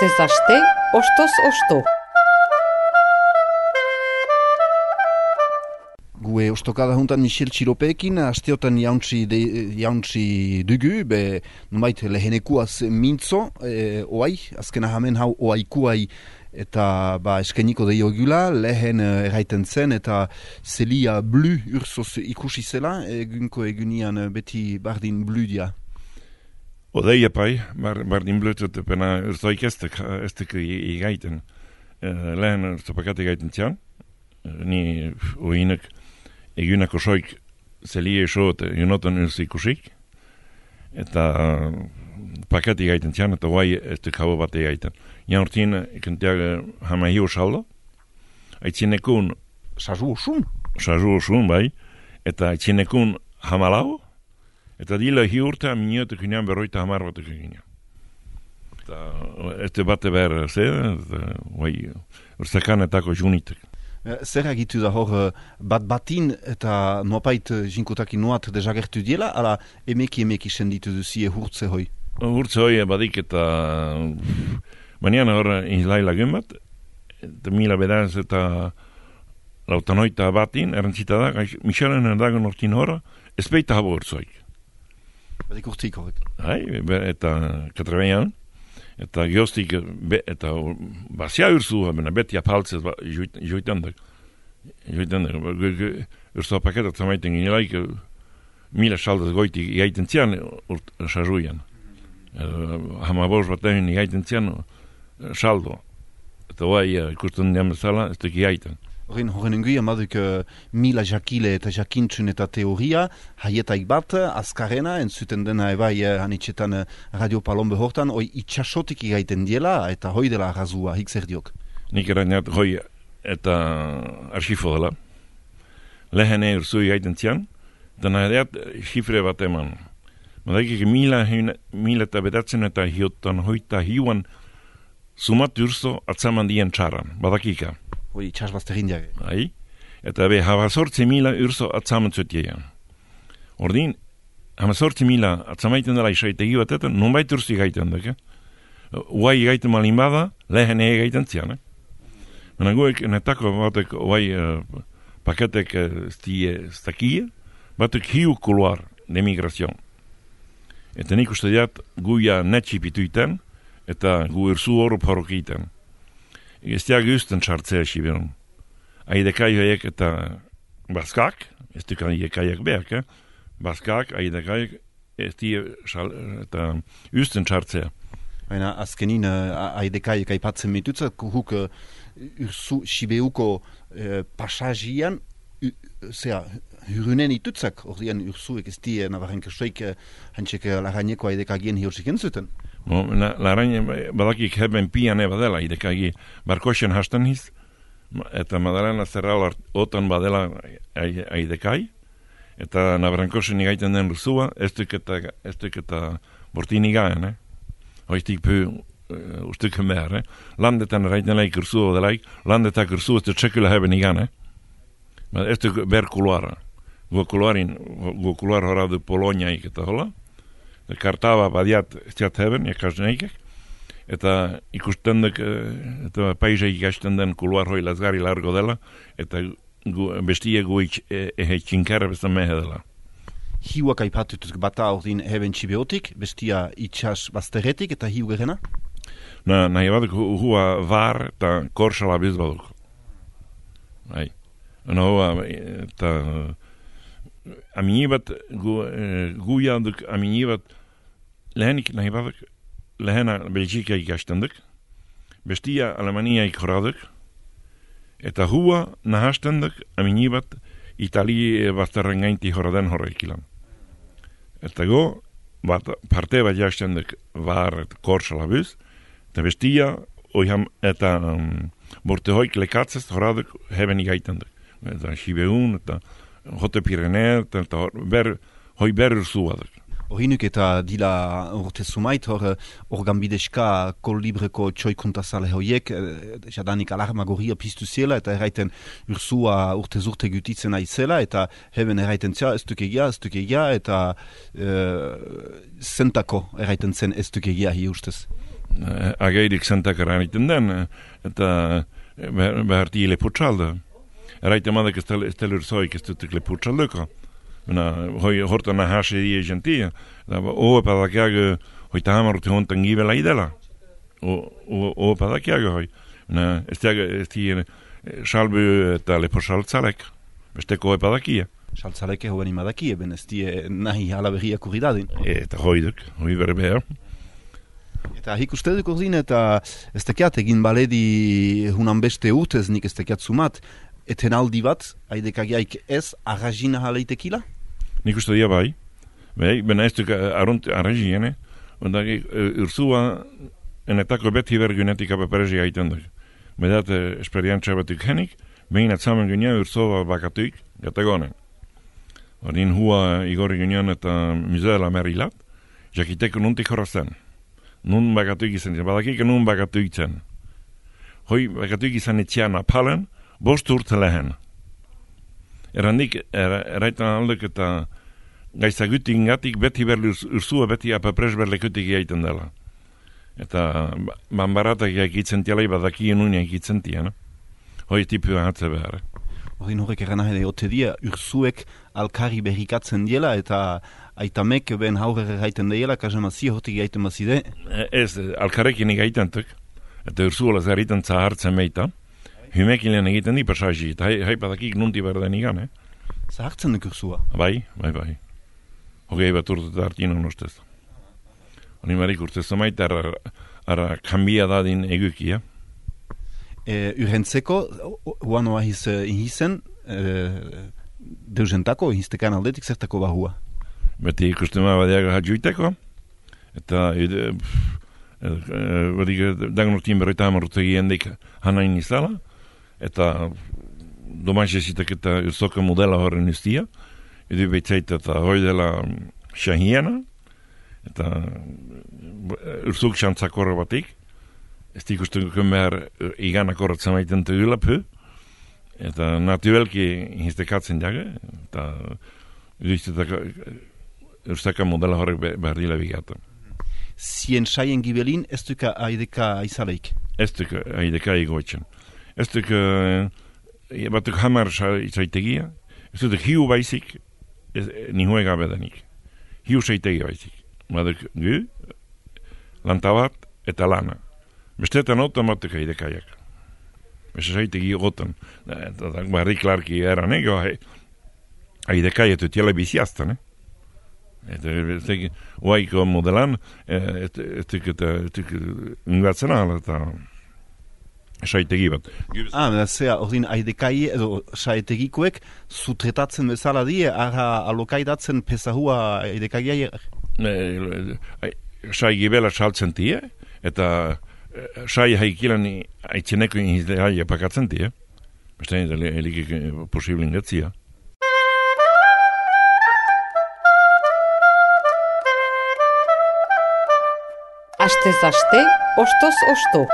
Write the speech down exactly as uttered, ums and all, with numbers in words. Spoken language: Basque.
Astez aste, ostoz osto. Gue ostokada juntan Michel Txilopeekin, asteotan jauntzi, de, jauntzi dugu, be numait lehenekuaz mintzo, e, oai, azkena hamen hau oaikuai eta ba eskeniko deio gula, lehen erraiten zen eta zelia blu ursoz ikusi zela, egunko egunian beti bardin blu dia. Odei epai, bar, bardin blu eta pena urzoik eztek, eztek igaiten. Uh, lehen urzopakat igaiten zian, ni uinek egunako soik zelie iso eta junotan urzi ikusik, eta uh, paket igaiten zian, eta guai eztek hau bat igaiten. Jan urtien, ikenteag hama hiu saldo, aitzinekun Sazu osun? Sazu osun, bai, eta aitzinekun hamalau, eta dila hi urte aminioetek ginean berroita hamar batek ginean. Eta este bate behar ze, guai, urzakanetako junitek. Zer agitu da hor bat batin eta nuapait jinkotakin nuat dezagertu diela, ala emeki emeki senditu duzie hurtze hoi? Hurtze hoi badik eta baina hor izlaila gumbat, eta mila bedaz eta lautanoita batin, erantzita da, Michelen erdagon hortin hora, ezpeita habo hurtzoik. Badik urtik horrek. Hai, eta katrebeian, eta geostik, eta bazia urzu, beti apaltzez joitendak. Joitendak, urzu apaketat zamaiten ginelaik, mila saldaz goiti igaiten zian, sazuian. Hamabos bat egin igaiten zian, saldo. Eta guai, ikusten dian bezala, ez duk igaiten. Horren, horren enguia maduk uh, mila jakile eta jakintzun eta teoria, haietaik bat, azkarena, entzuten dena ebai uh, hanitxetan uh, Radio Palombe hortan, hoi itxasotik igaiten diela, eta hoi dela arrazua, hik zer diok? Nik erainat hoi eta arxifo dela. Lehene urzu igaiten zian, eta nahedeat xifre bat eman. Madaikik mila, mila eta bedatzen eta hiotan hoita hiuan sumat urzo atzaman dien txaran, badakika. Hoi itxasbazterin diage. Hai, eta be habazortzi mila urzo atzaman zutiean. Ordin, habazortzi mila atzamaiten dela isaitegi batetan, nonbait urzi gaiten duk, eh? Uai gaiten malin bada, lehen ege gaiten zian, eh? Mena guek, netako batek uai uh, paketek stie uh, stakie, batek hiu kuluar de migrazion. Eta nik uste diat guia netxipituiten, eta gu urzu oro parokiten. Ez diag usten txartzea sibiron. Aidekai haiek eta baskak, ez duk aiekaiak behak, eh? Baskak, aidekaiak, ez diag eta usten txartzea. Baina azkenin uh, aidekaiak aipatzen mitutzat, huk uh, urzu sibeuko uh, pasajian, uh, zera, hurunen itutzak, ordean urzuek ez die nabarren kersoik uh, hantzek uh, laraineko aidekagien hiorzik entzuten. No, la, la araña badakik heben pian eba dela, idekagi barkoxen hasten hiz, eta Madalena Zerral otan badela aidekai, eta nabarankoxen igaiten den ruzua, ez duk eta, ez duk eta bortin igaen, eh? Hoiztik pu uh, ustuk behar, eh? Landetan eraiten laik ruzua delaik, landetak ruzua ez duk txekula heben igan, eh? Ez duk ber kuluara. Gu kuluarin, gu kuluar horadu Poloniaik eta hola, kartaba badiat ziat heben, jakasneikek, eta ikusten duk, eta paisaik ikasten den kuluar hoi lazgari largo dela, eta gu, bestie gu ehe txinkarra bezan mehe dela. Hiuak aipatutuz bata ordin heben txibeotik, bestia itxas bazteretik eta hiu gerena? Na, nahi baduk hua var eta korsala biz baduk. Hai. Ona hua, eta aminibat, gu, gu jaduk aminibat, lehenik nahi baduk, lehena Belgika ikastenduk, bestia Alemania ikhoraduk, eta hua nahastenduk aminibat Itali bazterren gainti horaden horreikilan. Eta go, bat, parte bat jastenduk var et korsala biz, eta bestia, oiham, eta um, borte hoik lekatzez horaduk heben igaitenduk. Eta Sibeun, eta Jote Pirenea, eta ber, hoi ber urzuaduk. Horinuk eta dila urte sumait, hor organbideska kolibreko txoikuntazale hoiek, jadanik alarmagoria piztu zela, eta erraiten ursua urte zurte gutitzen aizela, eta heben erraiten zia, ez duk egia, ez duk egia, eta e, zentako erraiten zen ez duk egia hi ustez. ageirik zentakara egiten den, eta beharti leputsalda. Eraita madak ez telur zoik ez dutik leputsalduko. Hoi hortan ahase die gentia, oa padakiago hoi tahamarute hontan gibela idela. Oa padakiago hoi. Ez tiago salbu eta leposaltzalek, besteko hoi padakia. Saltzaleke hoen imadakie, ben ez die nahi alaberriak urri dadin. Eta hoi duk, hoi berbea. Eta hik uste duk urdin, eta ez tekiat egin baledi hunan beste urtez nik ez tekiat zumat, eten aldi bat, aidekagiaik ez arrazina haleitekila? Nik uste dia bai, bai, bena ez duk arraziene, onda urzua enetako beti bergunetik apaperezi gaiten duk. Bedat esperientzia batuk henik, behin atzamen gunean urzua bakatuik, gatagonen. Ordin hua igorri gunean eta muzeela merilat, jakiteko nuntik horazten. Nun bakatuik izan, badakik nun bakatuik zen. Hoi bakatuik izan etxean apalen, bost urte lehen. Erandik, er, eraitan aldek eta gaizagutik ingatik beti berli urzua beti apapres berlekutik egiten dela. Eta banbaratak egitzen tialai badakien unia egitzen tiana. Hoi tipu hatze behar. Horrin horrek eran ahede, ote dia urzuek alkari berrikatzen diela eta aitamek ben haurere gaiten diela, kazamazia hortik gaiten mazide? Ez, alkarekin egiten tuk. Eta urzuola zerritan zahartzen meita. Hymekilen egiten di pasaji, eta hai badakik nunti berden igan, eh? Zahartzen duk urzua? Bai, bai, bai. Hogei bat urte hartien unostez. Honi marik urtez maita ara, ara kambia dadin egukia. E, urrentzeko, huan oa hiz inhizen, e, deuzentako, hiztekan aldetik zertako bahua? Beti ikustema badiaga hatjuiteko, eta ide, badik dagonortien berroita hamar dik hanain izala, eta domaixesitak eta urzoka modela horren iztia, edu behitzait eta hoi dela xahiena, eta urzuk xantzakorra batik, ez ikusten behar iganak horretzen maiten tegulapu, eta naturelki hiztekatzen jage, eta uriztetak urzaka modela horrek behar dila bigata. Zien saien gibelin, ez duka aideka aizaleik? Ez duka aideka egoitzen. Ez duka batuk hamar saitegia, ez duka hiu baizik, nihoe gabe denik. Hiu saitegia baizik. Baduk gu, lantabat eta lana. Bestetan automatik aidekaiak. Beste saitegi gotan. Barri klarki eran ego, aidekaiet utiela biziaztan, eh? Eta oaiko modelan, etuk eta ingatzen ala eta saitegi bat. Ah, da zea, ordin aidekai edo saitegikoek sutretatzen bezala die, ara alokaidatzen pesahua aidekaiak? Sai gibela saltzen tie, eta sai haikilan aitzeneko inhizdeaia pakatzen tie. Beste elikik posible ingatzia. Astez aste, ostoz osto.